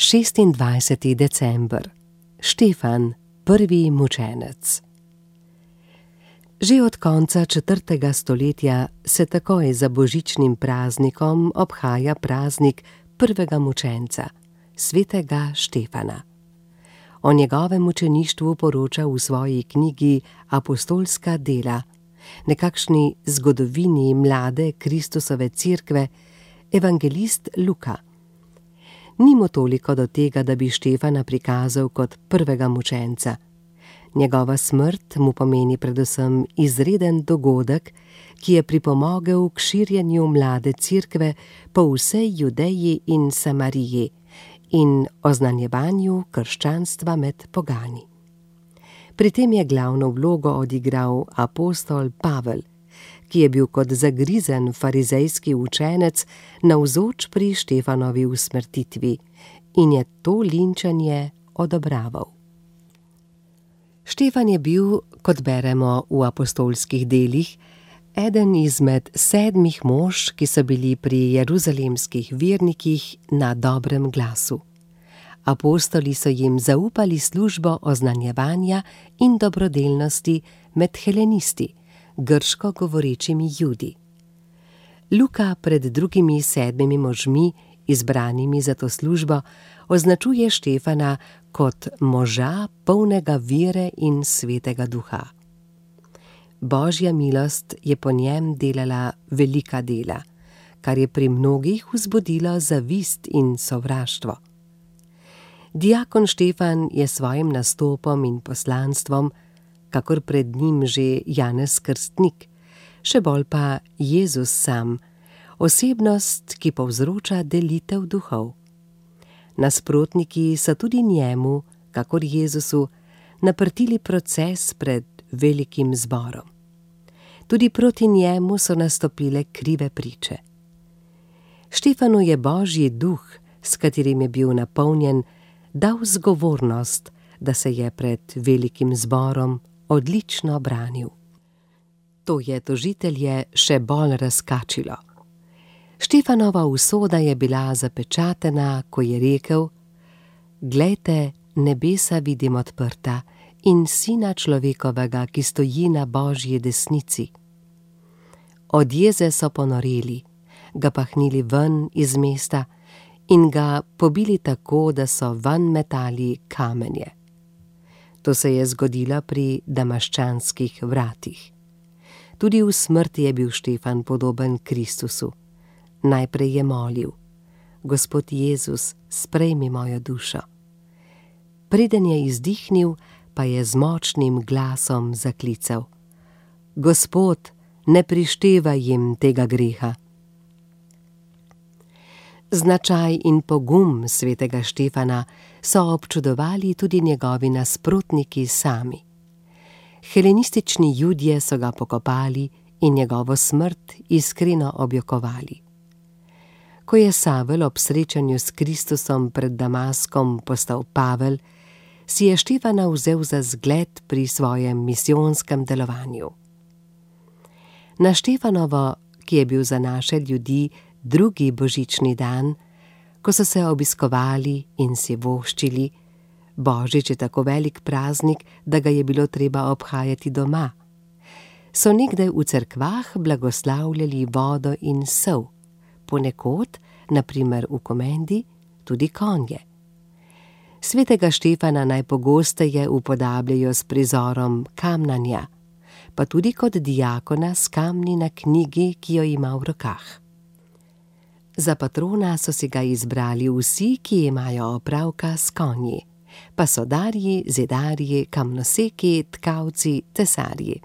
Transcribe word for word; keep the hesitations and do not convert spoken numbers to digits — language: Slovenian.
šestindvajseti december. Štefan, prvi mučenec. Že od konca četrtega stoletja se takoj za božičnim praznikom obhaja praznik prvega mučenca, svetega Štefana. O njegovem mučeništvu poroča v svoji knjigi Apostolska dela, nekakšni zgodovini mlade Kristusove cerkve, evangelist Luka. Ni mu toliko do tega, da bi Štefana prikazal kot prvega mučenca. Njegova smrt mu pomeni predvsem izreden dogodek, ki je pripomogel k širjenju mlade cerkve po vsej Judeji in Samariji in oznanjevanju krščanstva med pogani. Pri tem je glavno vlogo odigral apostol Pavel, ki je bil kot zagrizen farizejski učenec navzoč pri Štefanovi usmrtitvi in je to linčanje odobraval. Štefan je bil, kot beremo v apostolskih delih, eden izmed sedmih mož, ki so bili pri jeruzalemskih vernikih na dobrem glasu. Apostoli so jim zaupali službo oznanjevanja in dobrodelnosti med helenisti, grško govorečimi Judi. Luka pred drugimi sedmimi možmi, izbranimi za to službo, označuje Štefana kot moža polnega vere in svetega duha. Božja milost je po njem delala velika dela, kar je pri mnogih vzbudilo zavist in sovraštvo. Diakon Štefan je svojim nastopom in poslanstvom, kakor pred njim že Janez Krstnik, še bolj pa Jezus sam, osebnost, ki povzroča delitev duhov. Nasprotniki so tudi njemu, kakor Jezusu, naprtili proces pred velikim zborom. Tudi proti njemu so nastopile krive priče. Štefanu je Božji duh, s katerim je bil napolnjen, dal zgovornost, da se je pred velikim zborom odlično branil. To je tožitelje še bolj razkačilo. Štefanova usoda je bila zapečatena, ko je rekel: "Glejte, nebesa vidim odprta in Sina človekovega, ki stoji na Božji desnici." Od jeze so ponoreli, ga pahnili ven iz mesta in ga pobili tako, da so ven metali kamenje. To se je zgodilo pri Damaščanskih vratih. Tudi v smrti je bil Štefan podoben Kristusu. Najprej je molil: "Gospod Jezus, sprejmi mojo dušo." Preden je izdihnil, pa je z močnim glasom zaklical: "Gospod, ne prištevaj jim tega greha." Značaj in pogum svetega Štefana so občudovali tudi njegovi nasprotniki sami. Helenistični Judje so ga pokopali in njegovo smrt iskreno objokovali. Ko je Savel ob srečanju s Kristusom pred Damaskom postal Pavel, si je Štefana vzel za zgled pri svojem misijonskem delovanju. Na Štefanovo, ki je bil za naše ljudi drugi božični dan, ko so se obiskovali in si voščili, Božič je tako velik praznik, da ga je bilo treba obhajati doma, so nekdaj v cerkvah blagoslavljali vodo in sol, ponekod, na primer v komendi, tudi konje. Svetega Štefana najpogosteje upodabljajo s prizorom kamnanja, pa tudi kot diakona s kamni na knjigi, ki jo ima v rokah. Za patrona so si ga izbrali vsi, ki imajo opravka s konji, pa sodarji, zidarji, kamnoseki, tkavci, tesarji.